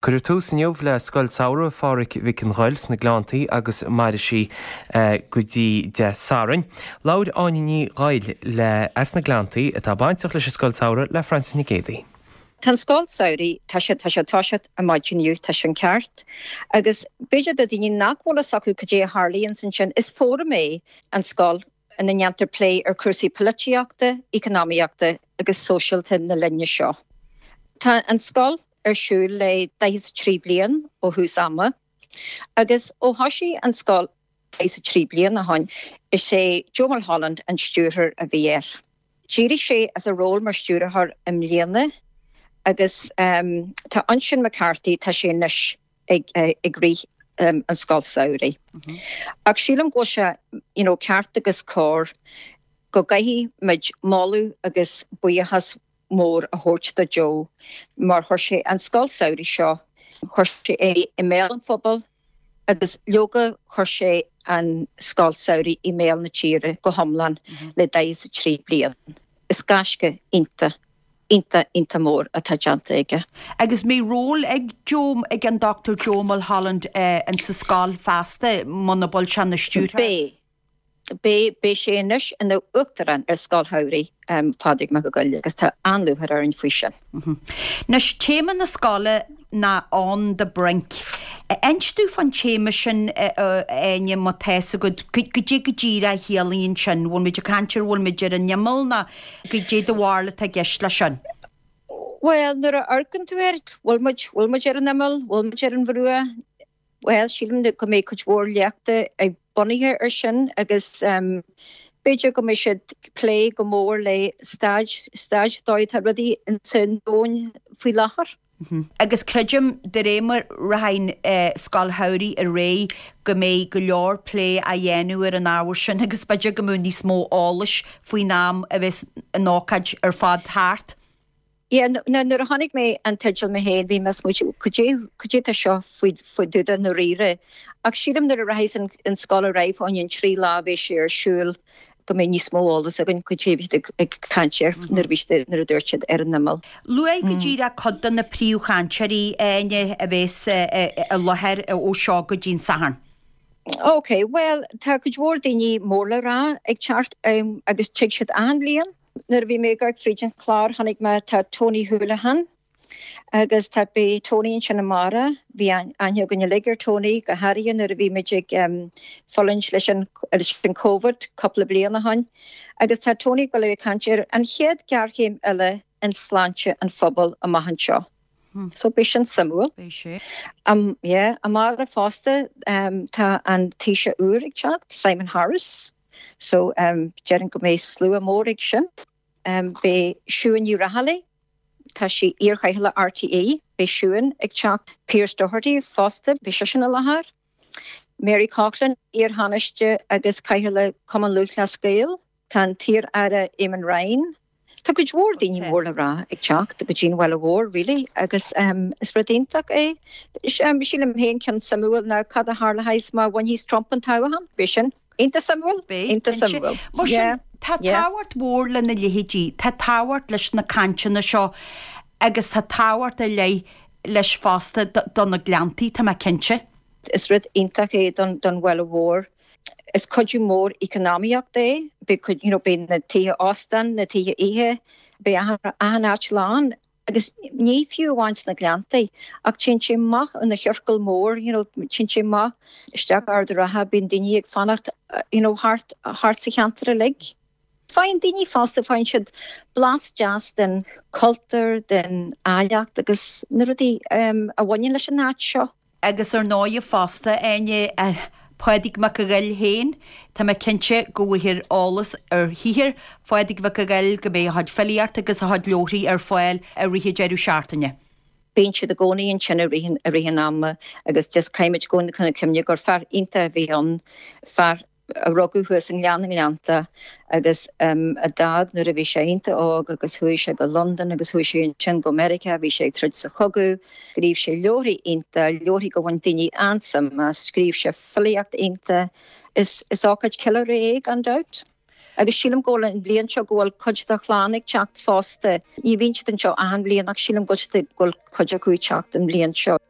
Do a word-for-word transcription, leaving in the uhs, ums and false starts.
Cuireadh tús inniu le Scoil Samhraidh Phádraig Mhic an Ghoill sna Gleanntaí agus mairfidh sí go dtí Dé Sathairn. Labhair Áine Ní Ghoill le as na Gleanntaí atá bainteach leis an Scoil Samhraidh le Frances Nic Géadaigh. Tá an scoil samhraidh tá sé tá sé toiseacht ar maidin inniu tá sin ceart. Agus b'fhéidir do daoine nach bhfuil fhios acu cad é a tharlaíonn ansin is fóram é an scoil ina ndéantar plé ar cúrsaí polaitíochta, eacnamaíochta agus sóisialta na linne seo. Tá an scoil ar siúl le daichead is trí bliain ó thús ama, agus ó thosaigh an scoil daichead is trí bliain ó shin, is é Joe Mulholland an stiúrthóir a bhí air. D'éirigh sé as a ról mar stiúrthóir i mbliana agus um, tá Uinseann McCarthy tá sé anois ag, ag rith um, an scoil samhraidh. Mm -hmm. Ach sílim go sé you know, ceart agus cóir go gcaithfidh muid moladh agus buíochas mór a thabhairt do Joe mar chuir sé an scoil samhraidh seo chuir sé é i mbéal an phobail agus leoga chuir sé an scoil samhraidh i mbéal na tíre go hiomlán mm -hmm. le daichead is trí bliain. Is gaisce iontach iontach iontach mór atá déanta aige. Agus mbeidh ról ag Joe ag an Dr Joe Mulholland uh, in sa scoil feasta muna bhfuil sé ina stiúrthóir. Beidh Beidh beidh sé anois ina uachtarán ar Scoil Shamhraidh um, Phádraig Mac Giolla agus tá an-lúcháir orainn faoi sin. Mm -hmm. Anois téama na scoile ná on the brink. Inis dúinn fán téama sin Áine má tá fhios agat goidé go díreach a chiallaíonn sin, bhfuil muid ag caint ar bhfuil muid ar an imeall nó goidé do bharúil atá i gceist leis sin. Well, nuair a amharcann tú air bhfuil muid bhfuil muid ar an imeall, bhfuil muid ar an bhruach, Well sílim go mbeidh cuid mhór léachta ag bunaithe ar sin agus um, b'fhéidir go mbeidh siad plé go mór le staid staid dóigh rudaí san domhan faoi láthair. Mm -hmm. Agus creidim de réir mar rachaidh uh, scoil shamhraidh ar aghaidh go mbeidh go leor plé á dhéanamh ar an ábhar sin agus b'fhéidir go mbeidh níos mó eolais faoin am a bheas an ócáid ar fad thart. Yeah, nuair a chonaic mé an teideal mé féin bhí mé cad é seo faoi faoi dtaobh i ndáiríre. Ach sílim nuair a rachaidh an, an scoil ar aghaidh fán an trí lá bhí sé ar siúl go mbeidh níos mó eolas againn cad é bhí ag caint air nuair bhí nuair a dúirt siad ar an imeall. Luaigh go díreach cuid de na príomhchainteoirí Áine a bheas i láthair ó seo go dtí an Satharn. Ok, well tá cuid mhór daoine mór le rá ag teacht um, agus tig siad an bhliain. Nuair a bhí mé ag tríd an chlár chonaic mé tá Tony Holohan agus tá beidh Tony ansin amárach bhí aithne againn uilig ar Tony go háirithe nuair a bhí muid ag um, fulaingt leis an leis an COVID cúpla bliain ó shin agus tá Tony go le caint ar an chéad ghéarchéim eile in sláinte an phobail amach anseo. Hmm. So beidh sin suimiúil. Um, yeah, amárach fosta um, tá an Taoiseach úr ag teacht, Simon Harris. So um, déarfainn go mbeidh slua mór ag sin. Um, beidh Siún Ní Raghallaigh, tá sí iarchathaoirleach RTÉ, beidh Siún ag teacht Pearse Doherty fosta beidh seisean i láthair. Mary Coughlan iar-Thánaiste agus Cathaoirleach Cumann Lúthchleas Gael, Tá an t-iar-aire Eamon Ryan. Tá cuid mhór daoine mór le rá ag teacht go dtí an Bhaile Mhór really agus um, is rud iontach é. Um, sílim féin ceann suimiúil ná cad a tharlóidh má bhainfidh Trump an toghchán, beidh sin iontach suimiúil iontach suimiúil. Tá tábhacht mhór lena leithéidí, tá tábhacht leis na cainteanna seo agus tá tábhacht ar leith leis fosta do na Gleanntaí tá mé cinnte. Is rud iontach é don don Bhaile Mhór. Is cuidiú mór eacnamaíocht é, beidh you know, beidh na tithe óstáin, na tithe oíche, beidh achan áit lán agus ní fiú amháin sna Gleanntaí ach téann sé amach an na chiorcal mór you know, téann sé amach isteach Ard an Rátha bíonn daoine ag fanacht you know, thart thart sa cheantar uilig. Faigheann daoine fosta faigheann siad blas deas den cultúr, den áilleacht agus na rudaí um, a bhaineann leis an áit seo. Agus ar ndóigh fosta Áine Pádraig Mac a Ghoill féin, Tá mé cinnte go bhfaighfear eolas ar shaothar Phádraig Mhic a Ghoill go mbeidh a chuid filíocht agus a chuid leabharthaí ar fáil i rith an deireadh seachtaine. Bíonn siad i gcónaí ansin i rith an ama agus just caithfimid i gcónaí chun cuimhne gur fear iontach a bhí ann, fear a rugadh thuas i nGleann na nGleannta agus um, a d'fhág nuair a bhí sé iontach óg agus chuaigh sé go London agus chuaigh sé ansin go Meiriceá, bhí sé ag troid sa chogadh, scríobh sé leabharthaí iontach, leabharthaí go bhain daoine an-suim as, scríobh sé filíocht iontach. Is, is ócáid ceiliúradh é gan dabht. Agus sílim go bhfuil an bhliain seo go bhfuil cuid dá chlann ag teacht fosta. Ní bhíonn siad anseo achan bhliain ach sílim go bhfuil cuid acu ag teacht an bhliain seo.